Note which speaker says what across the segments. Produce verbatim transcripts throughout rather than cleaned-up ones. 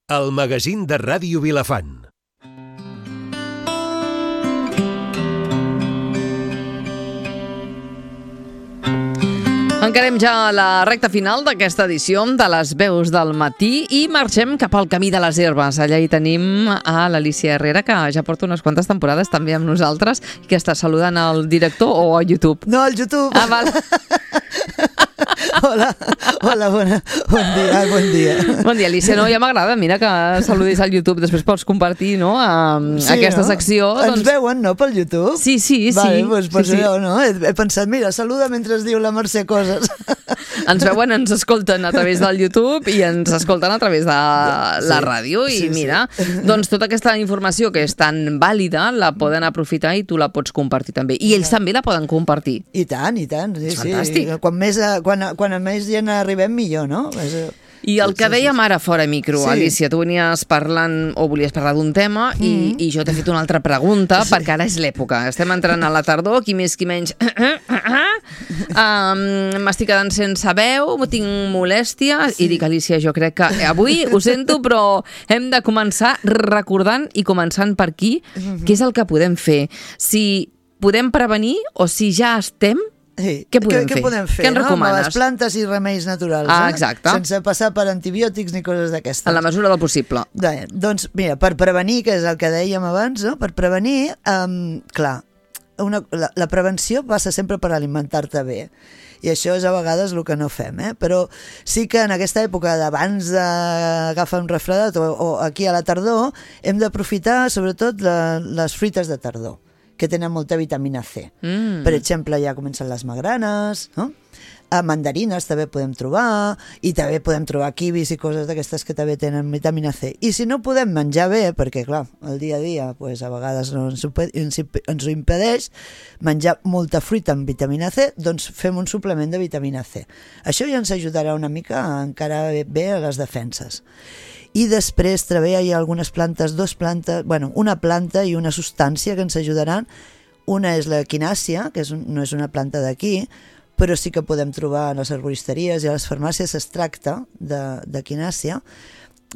Speaker 1: El magazín de Ràdio Vilafant.
Speaker 2: Encarem ja la recta final d'aquesta edició de les veus del matí i marxem cap al camí de les herbes. Allà hi tenim a l'Alicia Herrera, que ja porta unes quantes temporades també amb nosaltres i que està saludant al director o a YouTube.
Speaker 3: No, al YouTube.
Speaker 2: Ah, val.
Speaker 3: Hola, hola, bona, bon dia, bon dia.
Speaker 2: Bon dia, Alicia. No, ja m'agrada, mira, que saludis al YouTube. Després pots compartir, no?, a, sí, aquesta no? secció.
Speaker 3: Ens doncs... veuen, no?, pel YouTube?
Speaker 2: Sí, sí,
Speaker 3: vale,
Speaker 2: sí.
Speaker 3: Doncs, pues
Speaker 2: sí,
Speaker 3: jo,
Speaker 2: sí.
Speaker 3: no? He, he pensat, mira, saluda mentre es diu la Mercè coses.
Speaker 2: Ens veuen, ens escolten a través del YouTube i ens escolten a través de la
Speaker 3: sí,
Speaker 2: ràdio. I
Speaker 3: sí,
Speaker 2: mira,
Speaker 3: sí.
Speaker 2: doncs tota aquesta informació que és tan vàlida la poden aprofitar i tu la pots compartir també. I ells també la poden compartir.
Speaker 3: I tant, i tant. Sí,
Speaker 2: és fantàstic.
Speaker 3: Sí. Quan, més, quan, quan a més gent arribem, millor, no?
Speaker 2: I el que dèiem ara fora micro, sí. Alicia, tu venies parlant o volies parlar d'un tema mm. i, i jo t'he fet una altra pregunta sí. perquè ara és l'època. Estem entrant a la tardor, qui més qui menys. um, M'estic quedant sense veu, tinc molèsties sí. i dic, Alicia, jo crec que avui ho sento, però hem de començar recordant i començant per aquí, mm-hmm. què és el que podem fer. Si podem prevenir o si ja estem.
Speaker 3: Sí.
Speaker 2: Què podem
Speaker 3: què,
Speaker 2: fer?
Speaker 3: Què podem fer?
Speaker 2: Què ens
Speaker 3: no?
Speaker 2: recomanes?
Speaker 3: Amb les plantes i remeis naturals.
Speaker 2: Ah,
Speaker 3: eh?
Speaker 2: exacte.
Speaker 3: Sense passar per antibiòtics ni coses d'aquestes.
Speaker 2: En la mesura del possible.
Speaker 3: Bé, doncs, mira, per prevenir, que és el que dèiem abans, no? Per prevenir, um, clar, una, la, la prevenció passa sempre per alimentar-te bé. I això és a vegades el que no fem, eh? Però sí que en aquesta època d'abans d'agafar un refredat o, o aquí a la tardor, hem d'aprofitar sobretot la, les fruites de tardor, que tenen molta vitamina C. Mm. Per exemple, ja comencen les magranes, no? A mandarines també podem trobar, i també podem trobar kiwis i coses d'aquestes que també tenen vitamina C. I si no podem menjar bé, perquè clar, el dia a dia pues, a vegades no ens, ho, ens, ens ho impedeix menjar molta fruita amb vitamina C, doncs fem un suplement de vitamina C. Això ja ens ajudarà una mica a encarar bé a les defenses. I després també hi ha algunes plantes, dos plantes, bueno, una planta i una substància que ens ajudaran. Una és la quinàcia, que és un, no és una planta d'aquí, però sí que podem trobar a les arboristeries i a les farmàcies extracte de, de quinàcia.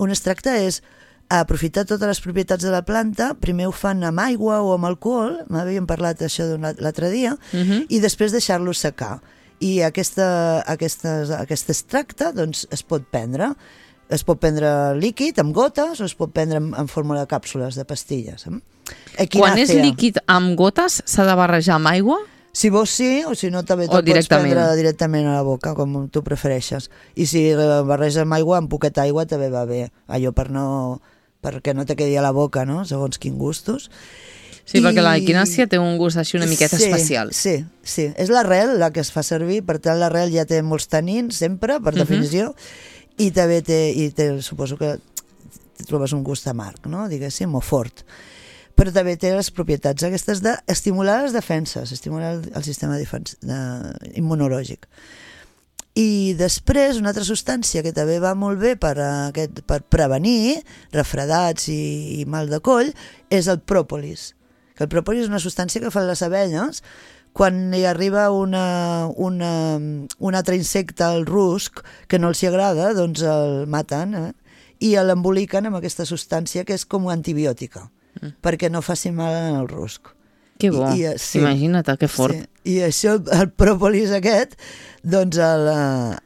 Speaker 3: Un extracte és aprofitar totes les propietats de la planta, primer ho fan amb aigua o amb alcohol, m'havíem parlat això l'altre dia, uh-huh. i després deixar-lo secar. I aquesta, aquestes, aquest extracte doncs, es pot prendre. Es pot prendre líquid, amb gotes, o es pot prendre en, en forma de càpsules, de pastilles. Equinàcia.
Speaker 2: Quan és líquid amb gotes, s'ha de barrejar amb aigua?
Speaker 3: Si vols sí, o si no també te'l pots prendre directament a la boca, com tu prefereixes. I si barreges amb aigua, amb poqueta aigua també va bé. Allò per no, perquè no te quedi a la boca, no? Segons quins gustos.
Speaker 2: Sí, I... perquè la quinàcia té un gust així una miqueta
Speaker 3: sí,
Speaker 2: especial.
Speaker 3: Sí, sí. És l'arrel la que es fa servir, per tant l'arrel ja té molts tanins, sempre, per definició, uh-huh. i també té, i té, suposo que trobes un gust amarg, no? Diguéssim, o fort. Però també té les propietats aquestes d'estimular les defenses, estimular el, el sistema defens, de, immunològic. I després, una altra substància que també va molt bé per, aquest, per prevenir refredats i, i mal de coll és el pròpolis. Que el pròpolis és una substància que fan les abelles quan hi arriba una, una, un altre insecte, el rusc, que no els hi agrada, doncs el maten, eh? I l'emboliquen amb aquesta substància que és com antibiòtica, mm. perquè no faci mal al rusc.
Speaker 2: Que bo, I, i, sí, imagina't, que fort.
Speaker 3: Sí. I això, el pròpolis aquest, doncs el,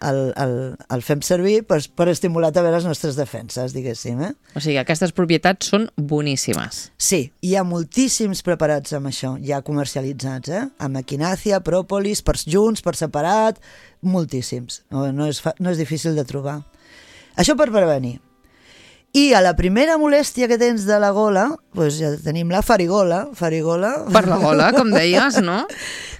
Speaker 3: el, el, el fem servir per, per estimular també les nostres defenses, diguéssim. Eh?
Speaker 2: O sigui, aquestes propietats són boníssimes.
Speaker 3: Sí, hi ha moltíssims preparats amb això, ja comercialitzats, eh? Amb equinàcia, pròpolis, per junts, per separat, moltíssims. No, no, és, no és difícil de trobar. Això per prevenir. I a la primera molèstia que tens de la gola, doncs ja tenim la farigola. farigola.
Speaker 2: Per la gola, com deies, no?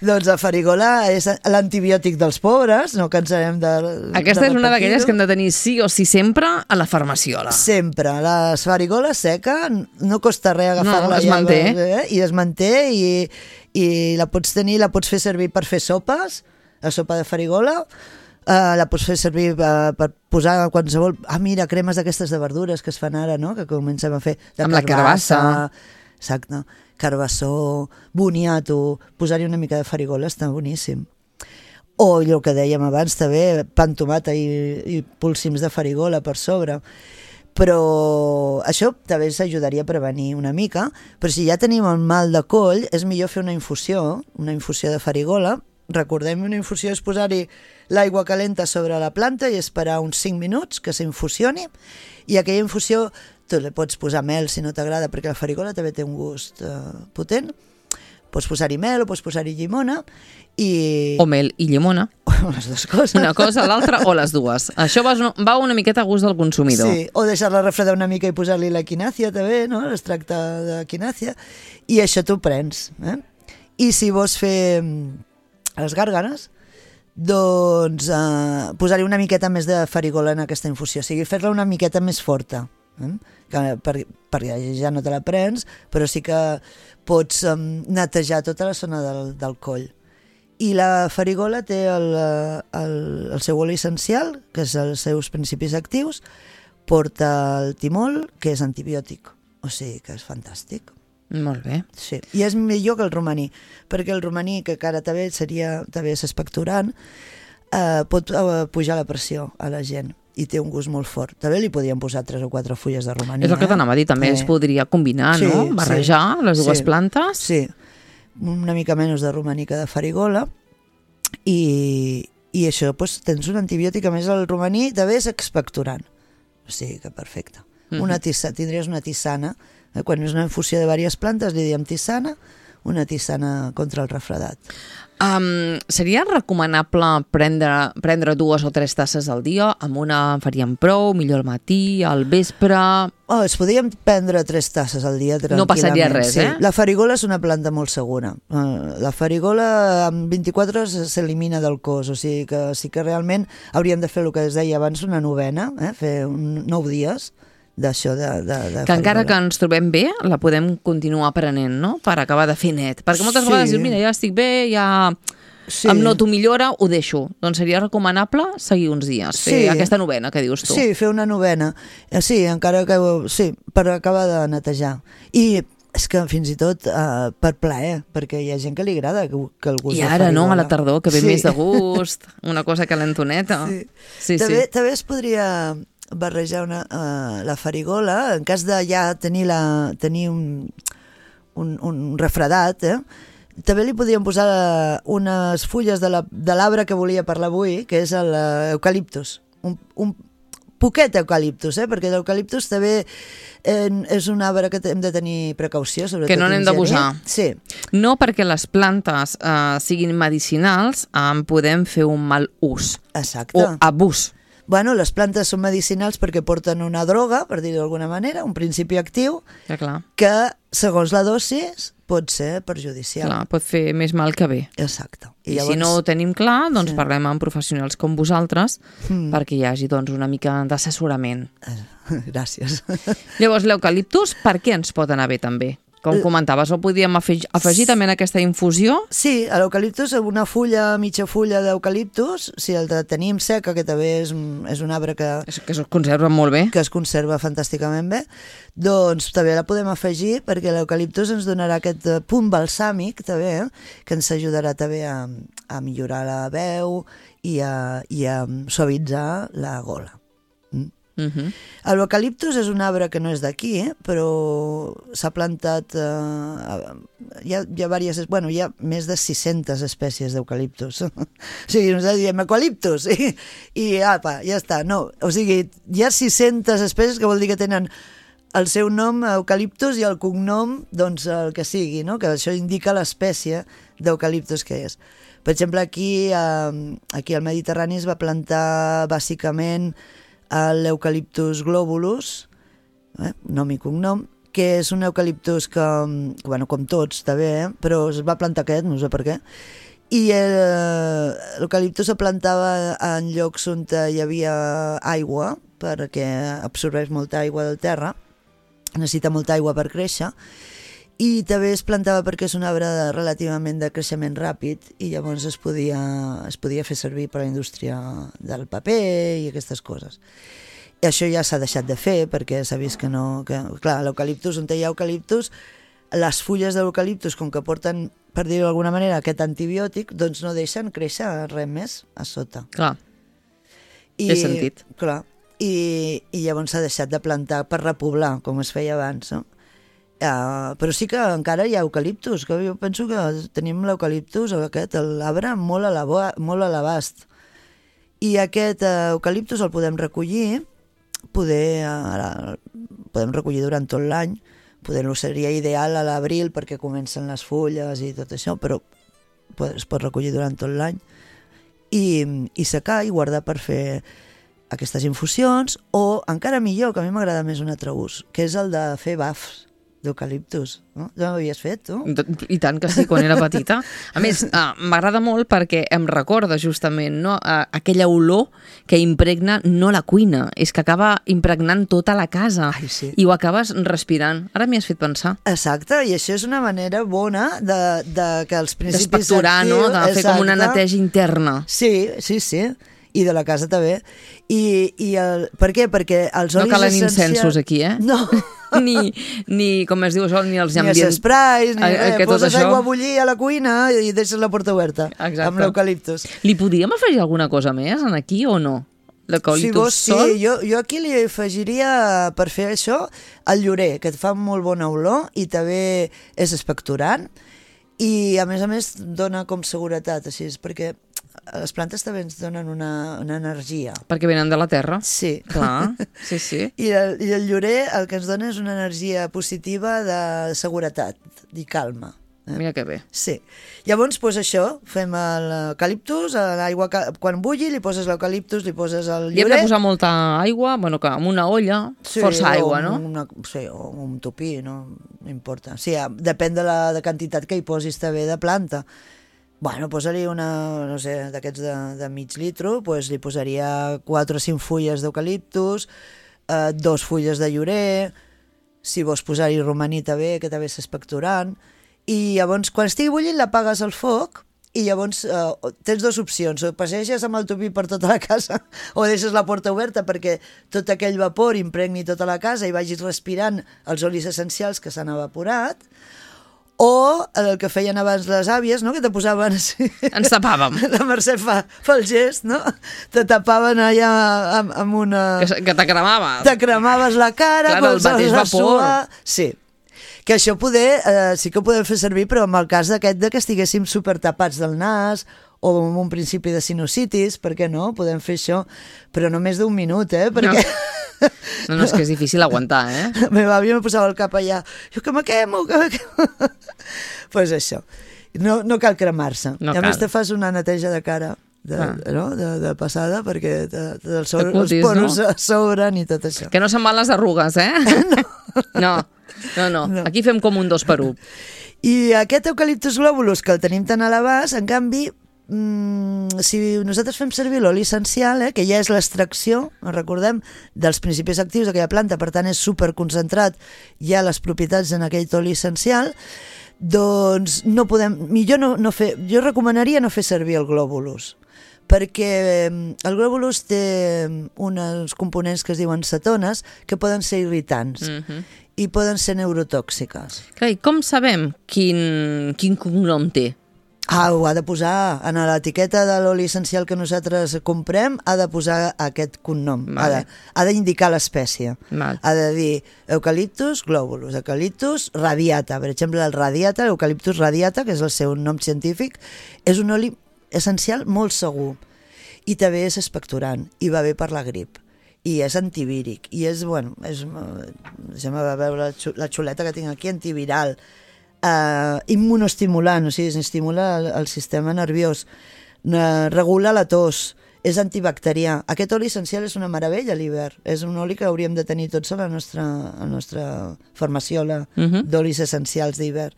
Speaker 3: Doncs la farigola és l'antibiòtic dels pobres, no cansarem de
Speaker 2: Aquesta
Speaker 3: de
Speaker 2: és una d'aquelles que hem de tenir sí o sí sempre a la farmaciola.
Speaker 3: Sempre. La farigola seca, no costa res agafar-la.
Speaker 2: No, es manté.
Speaker 3: Eh? I es manté i, i la pots tenir, la pots fer servir per fer sopes, la sopa de farigola. Uh, la pots fer servir uh, per posar qualsevol... Ah, mira, cremes d'aquestes de verdures que es fan ara, no? Que comencem a fer de
Speaker 2: amb
Speaker 3: carbassa.
Speaker 2: La carbassa.
Speaker 3: Exacte. Carbassó, boniato, posar-hi una mica de farigola està boníssim. O el que dèiem abans també, pa amb tomata i, i púlsims de farigola per sobre. Però això també s'ajudaria a prevenir una mica, però si ja tenim el mal de coll, és millor fer una infusió, una infusió de farigola. Recordem, una infusió és posar-hi l'aigua calenta sobre la planta i esperar uns cinc minuts que s'infusioni, i aquella infusió tu li pots posar mel si no t'agrada, perquè la farigola també té un gust eh, potent. Pots posar-hi mel o pots posar-hi llimona i...
Speaker 2: O mel i llimona.
Speaker 3: O les dues coses.
Speaker 2: Una cosa, l'altra o les dues. Això va, va una miqueta a gust del consumidor.
Speaker 3: Sí, o deixar-la refredar una mica i posar-li la quinàcia també, no? L'extracte de quinàcia. I això t'ho prens. Eh? I si vols fer les gàrgares, doncs eh, posar-hi una miqueta més de farigola en aquesta infusió. O sigui, fer-la una miqueta més forta. Eh? Que per, perquè ja no te la prens, però sí que pots um, netejar tota la zona del, del coll. I la farigola té el, el, el seu oli essencial, que és els seus principis actius, porta el timol, que és antibiòtic, o sigui que és fantàstic.
Speaker 2: Molt bé.
Speaker 3: Sí. I és millor que el romaní, perquè el romaní, que encara també seria, també és expectorant, eh, pot eh, pujar la pressió a la gent i té un gust molt fort. També li podíem posar tres o quatre fulles de romaní.
Speaker 2: És el que t'anava a dir, també eh? es podria combinar, sí, no? Barrejar sí, les dues
Speaker 3: sí,
Speaker 2: plantes.
Speaker 3: Sí, una mica menys de romaní que de farigola, i, i això, doncs, tens un antibiòtic, a més el romaní també és expectorant. O sigui que perfecte. Mm-hmm. Una tissa, tindries una tisana, eh? Quan és una infusió de diverses plantes li diem tisana, una tisana contra el refredat.
Speaker 2: Um, seria recomanable prendre, prendre dues o tres tasses al dia? Amb una en faríem prou, millor al matí, al vespre...
Speaker 3: Oh, es podríem prendre tres tasses al dia tranquil·lament.
Speaker 2: No passaria res,
Speaker 3: sí.
Speaker 2: eh?
Speaker 3: La farigola és una planta molt segura. Uh, la farigola en vint-i-quatre hores s'elimina del cos, o sigui que sí que realment hauríem de fer el que es deia abans, una novena, eh? Fer un, nou dies d'això de, de, de
Speaker 2: que
Speaker 3: farigola.
Speaker 2: Encara que ens trobem bé, la podem continuar prenent, no? Per acabar de fer net. Perquè moltes
Speaker 3: sí.
Speaker 2: vegades dius, mira, ja estic bé, ja sí. em noto millora, ho deixo. Doncs seria recomanable seguir uns dies, fer sí. aquesta novena que dius tu.
Speaker 3: Sí, fer una novena. Sí, encara que... Sí, per acabar de netejar. I és que fins i tot uh, per plaer, perquè hi ha gent que li agrada que, que el gust
Speaker 2: I ara, no, a la tardor, que ve
Speaker 3: sí.
Speaker 2: més de gust, una cosa calentoneta.
Speaker 3: Sí.
Speaker 2: Sí,
Speaker 3: també,
Speaker 2: sí.
Speaker 3: també es podria barrejar una, uh, la farigola, en cas de ja tenir, la, tenir un, un, un refredat, eh? També li podríem posar unes fulles de l'arbre que volia parlar avui, que és l'eucaliptus. Un, un poquet eucaliptus, eh? Perquè l'eucaliptus també eh, és un arbre que hem de tenir precaució, sobretot
Speaker 2: que no n'hem d'abusar.
Speaker 3: Sí.
Speaker 2: No perquè les plantes eh, siguin medicinals, en podem fer un mal ús.
Speaker 3: Exacte.
Speaker 2: O abús.
Speaker 3: Bueno, les plantes són medicinals perquè porten una droga, per dir-ho d'alguna manera, un principi actiu,
Speaker 2: ja, clar.
Speaker 3: Que, segons la dosis, pot ser perjudicial.
Speaker 2: Clar, pot fer més mal que bé.
Speaker 3: Exacte.
Speaker 2: I, I llavors... si no ho tenim clar, doncs sí. parlem amb professionals com vosaltres mm. perquè hi hagi doncs, una mica d'assessorament.
Speaker 3: Gràcies.
Speaker 2: Llavors, l'eucaliptus, per què ens pot anar bé també? Com comentaves, el podíem afegir, afegir també en aquesta infusió?
Speaker 3: Sí, a l'eucaliptus, una fulla, mitja fulla d'eucaliptus, si el tenim seca, que també és, és un arbre que...
Speaker 2: És, que es conserva molt bé.
Speaker 3: Que es conserva fantàsticament bé, doncs també la podem afegir perquè l'eucaliptus ens donarà aquest punt balsàmic també, eh, que ens ajudarà també a, a millorar la veu i a, i a suavitzar la gola. Mm?
Speaker 2: Uh-huh.
Speaker 3: L'eucaliptus és un arbre que no és d'aquí, eh? Però s'ha plantat eh, hi ha, hi ha diverses, bueno, hi ha més de sis-centes espècies d'eucaliptus. O sigui, nosaltres diem eucaliptus i, i apa, ja està. No, o sigui, hi ha sis-centes espècies, que vol dir que tenen el seu nom eucaliptus i el cognom, doncs el que sigui, no? Que això indica l'espècie d'eucaliptus que és. Per exemple, aquí, eh, aquí al Mediterrani es va plantar bàsicament l'eucaliptus globulus, eh, nom i cognom, que és un eucaliptus que, bueno, com tots, també, eh, però es va plantar aquest, no sé per què, i l'eucaliptus es plantava en llocs on hi havia aigua, perquè absorbeix molta aigua del terra, necessita molta aigua per créixer, i també es plantava perquè és un arbre relativament de creixement ràpid i llavors es podia, es podia fer servir per a la indústria del paper i aquestes coses. I això ja s'ha deixat de fer perquè s'ha vist que no... Que, clar, l'eucaliptus, on hi ha eucaliptus, les fulles de l'eucaliptus, com que porten, per dir-ho d'alguna manera, aquest antibiòtic, doncs no deixen créixer res més a sota.
Speaker 2: Clar,
Speaker 3: I,
Speaker 2: té sentit.
Speaker 3: Clar. i, i llavors s'ha deixat de plantar per repoblar, com es feia abans, no? Uh, però sí que encara hi ha eucaliptus, que jo penso que tenim l'eucaliptus, aquest, l'arbre, molt a l'abast. I aquest uh, eucaliptus el podem recollir, poder, uh, podem recollir durant tot l'any, poder-lo seria ideal a l'abril perquè comencen les fulles i tot això, però es pot recollir durant tot l'any i, i secar i guardar per fer aquestes infusions, o encara millor, que a mi m'agrada més un altre ús, que és el de fer bafs d'eucaliptus, no? Ja m'havies fet, tu?
Speaker 2: I tant que sí, quan era petita. A més, uh, m'agrada molt perquè em recorda justament, no, uh, aquella olor que impregna no la cuina, és que acaba impregnant tota la casa.
Speaker 3: Ai, sí.
Speaker 2: I ho acabes respirant. Ara m'hi has fet pensar.
Speaker 3: Exacte, i això és una manera bona de, de que els principis
Speaker 2: d'espectorar, no? De fer com una neteja interna.
Speaker 3: Sí, sí, sí. I de la casa també. I, i el, per què? Perquè els olis essencials...
Speaker 2: No calen incensos aquí, eh?
Speaker 3: No.
Speaker 2: ni, ni, com es diu això, ni els
Speaker 3: ni
Speaker 2: ambient...
Speaker 3: els esprais, ni res. Poses
Speaker 2: això...
Speaker 3: aigua a bullir a la cuina i deixes la porta oberta.
Speaker 2: Exacte.
Speaker 3: Amb l'eucaliptus.
Speaker 2: Li podríem afegir alguna cosa més en aquí o no? L'eucaliptus
Speaker 3: si
Speaker 2: sol?
Speaker 3: Sí, jo, jo aquí li afegiria, per fer això, el llorer, que et fa molt bona olor i també és expectorant i a més a més dona com seguretat, així és perquè les plantes també ens donen una, una energia.
Speaker 2: Perquè venen de la terra.
Speaker 3: Sí.
Speaker 2: Clar, sí, sí.
Speaker 3: I el, I el llorer el que ens dona és una energia positiva de seguretat i calma.
Speaker 2: Eh? Mira que bé.
Speaker 3: Sí. Llavors, doncs això, fem l'eucaliptus, l'aigua, quan bulli, li poses l'eucaliptus, li poses el llorer...
Speaker 2: I hem de posar molta aigua, bueno, que amb una olla, sí, força aigua, no?
Speaker 3: Una, sí, o un tupí, no, no importa. Sí, depèn de la de quantitat que hi posis també de planta. Bueno, posa-li una, no sé, d'aquests de, de mig litro, pues li posaria quatre o cinc fulles d'eucaliptus, eh, dos fulles de llorer, si vols posar-hi romaní també, que també és expectorant, i llavors quan estigui bullint l'apagues al foc i llavors eh, tens dues opcions, o passeges amb el tupí per tota la casa o deixes la porta oberta perquè tot aquell vapor impregni tota la casa i vagis respirant els olis essencials que s'han evaporat, o el que feien abans les àvies, no? Que te posaven així.
Speaker 2: Ens tapàvem.
Speaker 3: La Mercè fa, fa el gest, no? Te tapaven allà amb, amb una...
Speaker 2: Que, que te cremaves.
Speaker 3: Te cremaves la cara.
Speaker 2: Clar, el mateix vapor.
Speaker 3: Sí. Que això poder, eh, sí que ho podem fer servir, però en el cas d'aquest de que estiguéssim super tapats del nas o amb un principi de sinusitis, per què no? Podem fer això, però no més d'un minut, eh? Perquè...
Speaker 2: No. No, no, és que és difícil aguantar, eh?
Speaker 3: La meva àvia me posava el cap allà. Jo, que me quemo, que me quemo. Doncs pues això. No, no cal cremar-se.
Speaker 2: No
Speaker 3: I a
Speaker 2: cal.
Speaker 3: més te fas una neteja de cara de,
Speaker 2: ah.
Speaker 3: no? de, de passada perquè te, te, els, sobre,
Speaker 2: cutis,
Speaker 3: els poros
Speaker 2: no?
Speaker 3: s'obren i tot això.
Speaker 2: Que no se'n van les arrugues, eh? No. No, no, no. Aquí fem com un dos per un.
Speaker 3: I aquest eucaliptus globulus, que el tenim tan a l'abast, en canvi, Mm, si nosaltres fem servir l'oli essencial, eh, que ja és l'extracció, recordem, dels principis actius d'aquella planta, per tant és superconcentrat ja les propietats en aquell oli essencial, doncs no podem, millor no, no fer, jo recomanaria no fer servir el globulus, perquè el globulus té uns components que es diuen cetones que poden ser irritants mm-hmm. i poden ser neurotòxiques.
Speaker 2: Clar, i com sabem quin, quin cognom té?
Speaker 3: Ah, ho ha de posar en l'etiqueta de l'oli essencial que nosaltres comprem, ha de posar aquest cognom, vale. ha d'indicar l'espècie,
Speaker 2: vale.
Speaker 3: Ha de dir eucaliptus globulus, eucaliptus radiata, per exemple el radiata, l'eucaliptus radiata, que és el seu nom científic, és un oli essencial molt segur i també és expectorant i va bé per la grip i és antivíric i és, bueno, és, deixa'm veure la xuleta que tinc aquí, antiviral, Uh, immunoestimulant, o sigui, estimula el, el sistema nerviós, uh, regula la tos, és antibacterià. Aquest oli essencial és una meravella a l'hivern, és un oli que hauríem de tenir tots a la nostra, a la nostra farmaciola uh-huh. d'olis essencials d'hivern.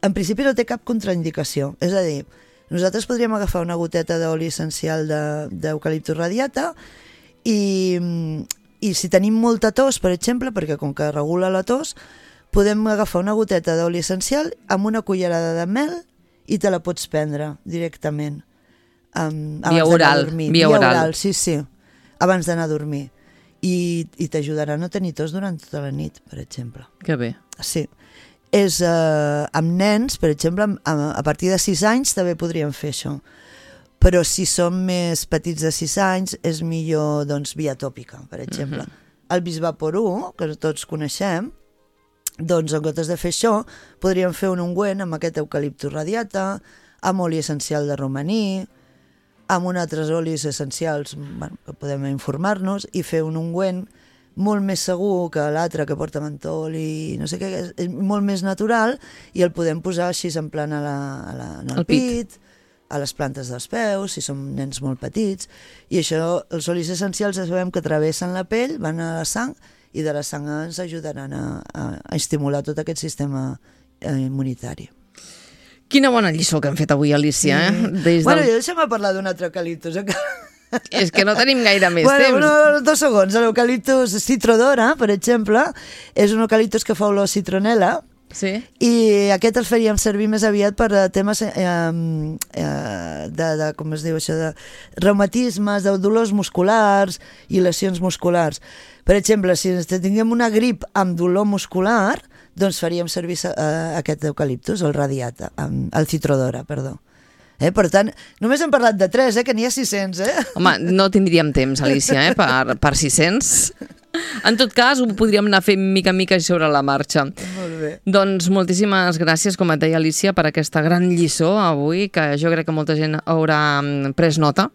Speaker 3: En principi no té cap contraindicació, és a dir, nosaltres podríem agafar una goteta d'oli essencial d'eucaliptus radiata i, i si tenim molta tos, per exemple, perquè com que regula la tos, podem agafar una goteta d'oli essencial amb una cullerada de mel i te la pots prendre directament. Um,
Speaker 2: via oral.
Speaker 3: Via,
Speaker 2: via
Speaker 3: oral.
Speaker 2: oral,
Speaker 3: sí, sí. Abans d'anar a dormir. I, i t'ajudarà a no tenir tos durant tota la nit, per exemple.
Speaker 2: Que bé.
Speaker 3: Sí. És, eh, amb nens, per exemple, a, a partir de sis anys també podríem fer això. però si són més petits de sis anys és millor doncs, via tòpica, per exemple. Uh-huh. El Bisvaporú, que tots coneixem, doncs en comptes de fer això podríem fer un ungüent amb aquest eucaliptus radiata, amb oli essencial de romaní, amb uns altres olis essencials, bueno, que podem informar-nos, i fer un ungüent molt més segur que l'altre que porta mentol i no sé què, és molt més natural, i el podem posar així en plan a la, a la, en el, el pit, pit, a les plantes dels peus, si som nens molt petits, i això, els olis essencials sabem que travessen la pell, van a la sang, i de la sang ens ajudaran a, a, a estimular tot aquest sistema eh, immunitari.
Speaker 2: Quina bona lliçó que hem fet avui, Alicia. Eh? Des
Speaker 3: bueno,
Speaker 2: del...
Speaker 3: jo deixa'm parlar d'un altre eucaliptus.
Speaker 2: És que no tenim gaire més
Speaker 3: bueno,
Speaker 2: temps.
Speaker 3: No, dos segons. L'eucaliptus citrodora, per exemple, és un eucaliptus que fa olor a citronela,
Speaker 2: sí.
Speaker 3: I aquest el faríem servir més aviat per temes eh, eh, de, de, com es diu això, de reumatismes, de dolors musculars i lesions musculars. Per exemple, si tinguem una grip amb dolor muscular, doncs faríem servir uh, aquest eucaliptus, el radiata, um, el citrodora, perdó. Eh? Per tant, només hem parlat de tres, eh? Que n'hi ha sis-cents. Eh?
Speaker 2: Home, no tindríem temps, Alicia, eh? per, per sis-cents. En tot cas, ho podríem anar fent mica en mica sobre la marxa.
Speaker 3: Molt bé.
Speaker 2: Doncs moltíssimes gràcies, com et deia Alicia, per aquesta gran lliçó avui, que jo crec que molta gent haurà pres nota,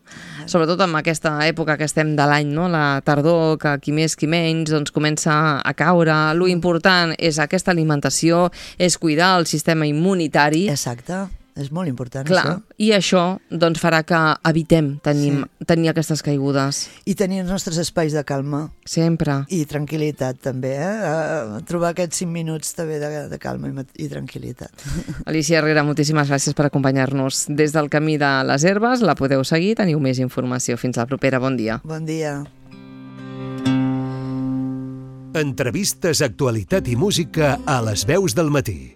Speaker 2: sobretot en aquesta època que estem de l'any, no? La tardor, que qui més qui menys doncs comença a caure. Lo important és aquesta alimentació, és cuidar el sistema immunitari.
Speaker 3: Exacte. És molt important,
Speaker 2: clar,
Speaker 3: això.
Speaker 2: I això doncs, farà que evitem tenir, sí. tenir aquestes caigudes.
Speaker 3: I tenir els nostres espais de calma.
Speaker 2: Sempre.
Speaker 3: I tranquil·litat, també. Eh? Uh, trobar aquests cinc minuts també de, de calma i, i tranquil·litat.
Speaker 2: Alicia Herrera, moltíssimes gràcies per acompanyar-nos. Des del Camí de les Herbes la podeu seguir, teniu més informació. Fins la propera, bon dia.
Speaker 3: Bon dia.
Speaker 1: Entrevistes, actualitat i música a les veus del matí.